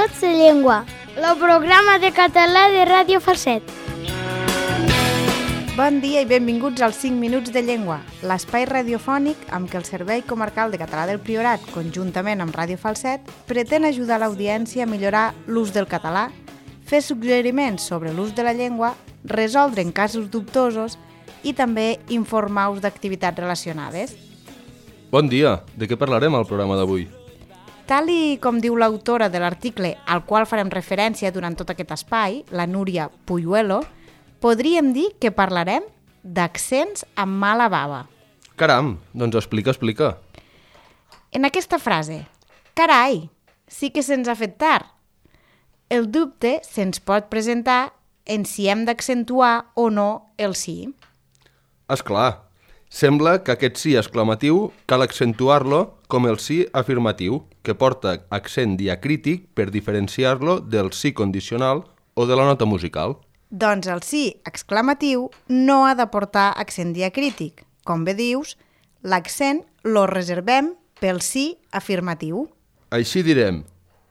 minuts de llengua, el programa de català de Ràdio Falset. Bon dia i benvinguts als 5 minuts de llengua, l'espai radiofònic amb què el Servei Comarcal de Català del Priorat, conjuntament amb Ràdio Falset, pretén ajudar l'audiència a millorar l'ús del català, fer suggeriments sobre l'ús de la llengua, resoldre en casos dubtosos i també informar-vos d'activitats relacionades. Bon dia! De què parlarem al programa d'avui? Tal i com diu l'autora de l'article al qual farem referència durant tot aquest espai, la Núria Puyuelo, podríem dir que parlarem d'accents amb mala bava. Caram, doncs explica. En aquesta frase, carai, sí que se'ns ha fet tard. El dubte se'ns pot presentar en si hem d'accentuar o no el sí. Esclar, sembla que aquest sí exclamatiu cal accentuar-lo com el sí afirmatiu, que porta accent diacrític per diferenciar-lo del sí condicional o de la nota musical. Doncs el sí exclamatiu no ha de portar accent diacrític. Com bé dius, l'accent lo reservem pel sí afirmatiu. Així direm,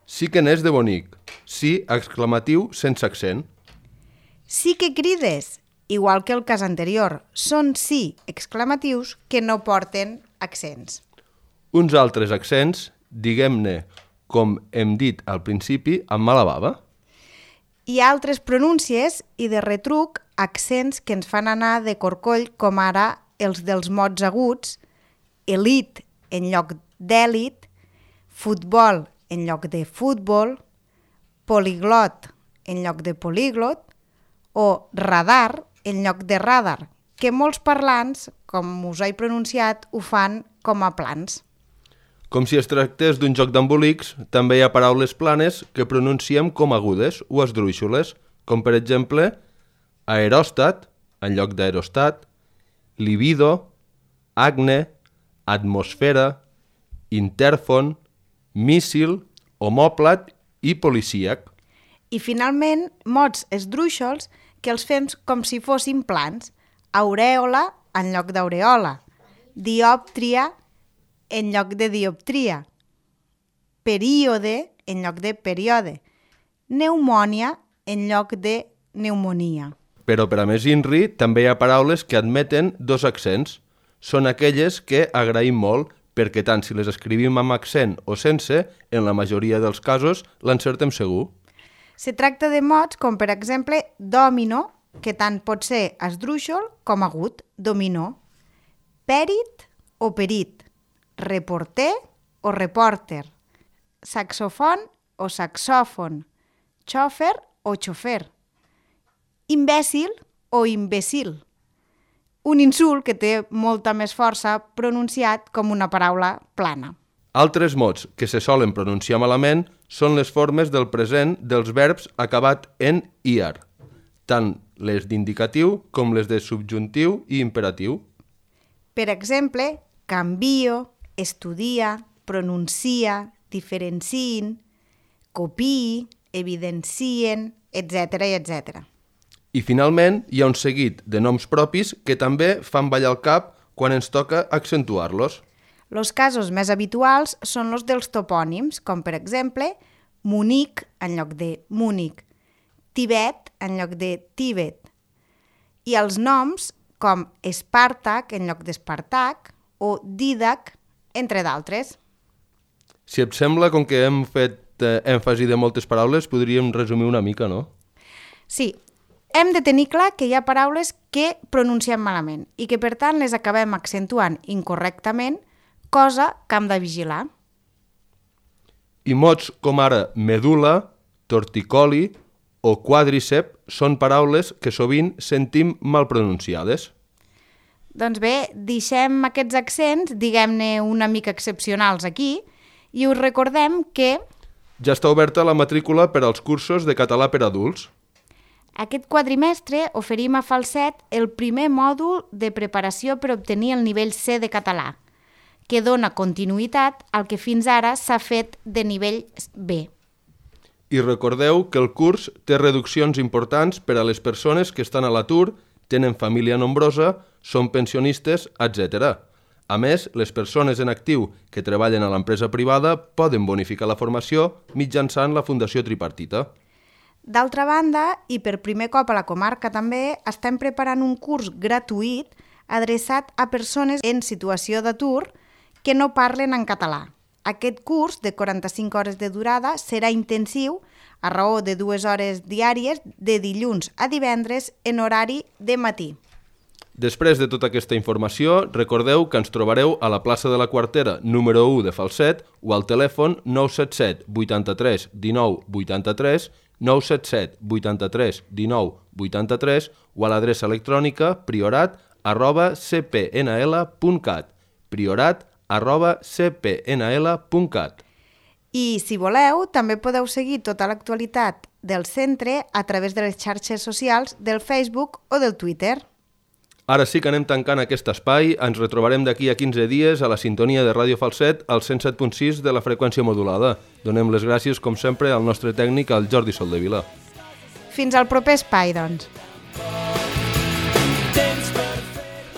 sí que n'és de bonic, sí exclamatiu sense accent. Sí que crides, igual que el cas anterior, són sí exclamatius que no porten accents. Uns altres accents, diguem-ne, com hem dit al principi, amb mala bava. Hi ha altres pronúncies i de retruc accents que ens fan anar de corcoll, com ara els dels mots aguts, elit en lloc d'èlit, futbol en lloc de futbol, poliglot en lloc de políglot o radar en lloc de radar, que molts parlants, com us he pronunciat, ho fan com a plans. Com si es tractés d'un joc d'embolics, també hi ha paraules planes que pronunciem com agudes o esdrúixoles, com per exemple aeròstat en lloc d'aerostat, libido, acne, atmosfera, intèrfon, míssil, homòplat i policíac. I finalment, mots esdrúixols que els fem com si fossin plans, aurèola en lloc d'aureola, diòptria en lloc de dioptria, període en lloc de període, pneumònia en lloc de pneumonia. Però per a més inri, també hi ha paraules que admeten dos accents. Són aquelles que agraïm molt, perquè tant si les escrivim amb accent o sense, en la majoria dels casos l'encertem segur. Se tracta de mots com, per exemple, dòmino, que tant pot ser esdrúixol com agut, dominó, pèrit o perit, reporter o repòrter, saxofon o saxòfon, xòfer o xofer, imbècil o imbècil. Un insult que té molta més força pronunciat com una paraula plana. Altres mots que se solen pronunciar malament són les formes del present dels verbs acabat en iar, tant les d'indicatiu com les de subjuntiu i imperatiu. Per exemple, canvio, estudia, pronuncia, diferencien, copiï, evidencien, etc. etc. I finalment hi ha un seguit de noms propis que també fan ballar el cap quan ens toca accentuar-los. Els casos més habituals són els dels topònims, com per exemple Munic en lloc de Múnich, Tibet en lloc de Tíbet, i els noms com Espàrtac en lloc d'Espartac o Dídac, entre d'altres. Si et sembla, com que hem fet èmfasi de moltes paraules, podríem resumir una mica, no? Sí, hem de tenir clar que hi ha paraules que pronunciem malament i que, per tant, les acabem accentuant incorrectament, cosa que hem de vigilar. I mots com ara medul·la, torticoli o quadrícep són paraules que sovint sentim mal pronunciades. Doncs bé, deixem aquests accents, diguem-ne una mica excepcionals aquí, i us recordem que ja està oberta la matrícula per als cursos de català per adults. Aquest quadrimestre oferim a Falset el primer mòdul de preparació per obtenir el nivell C de català, que dona continuïtat al que fins ara s'ha fet de nivell B. I recordeu que el curs té reduccions importants per a les persones que estan a l'atur, tenen família nombrosa, són pensionistes, etc. A més, les persones en actiu que treballen a l'empresa privada poden bonificar la formació mitjançant la Fundació Tripartita. D'altra banda, i per primer cop a la comarca també, estem preparant un curs gratuït adreçat a persones en situació d'atur que no parlen en català. Aquest curs, de 45 hores de durada, serà intensiu a raó de 2 hores diàries de dilluns a divendres en horari de matí. Després de tota aquesta informació, recordeu que ens trobareu a la plaça de la Quartera número 1 de Falset o al telèfon 977 83 19 83, 977 83 19 83 o a l'adreça electrònica priorat@cpnl.cat, priorat@cpnl.cat. I, si voleu, també podeu seguir tota l'actualitat del centre a través de les xarxes socials del Facebook o del Twitter. Ara sí que anem tancant aquest espai. Ens retrobarem d'aquí a 15 dies a la sintonia de Ràdio Falset al 107.6 de la freqüència modulada. Donem les gràcies, com sempre, al nostre tècnic, al Jordi Soldevila. Fins al proper espai, doncs.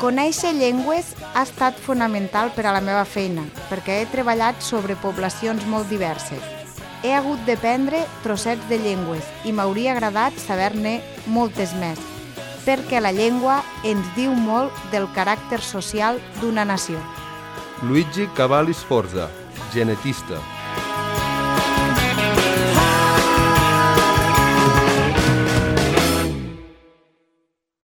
Conèixer llengües ha estat fonamental per a la meva feina, perquè he treballat sobre poblacions molt diverses. He hagut d'aprendre trossets de llengües i m'hauria agradat saber-ne moltes més, perquè la llengua ens diu molt del caràcter social d'una nació. Luigi Cavalli Sforza, genetista.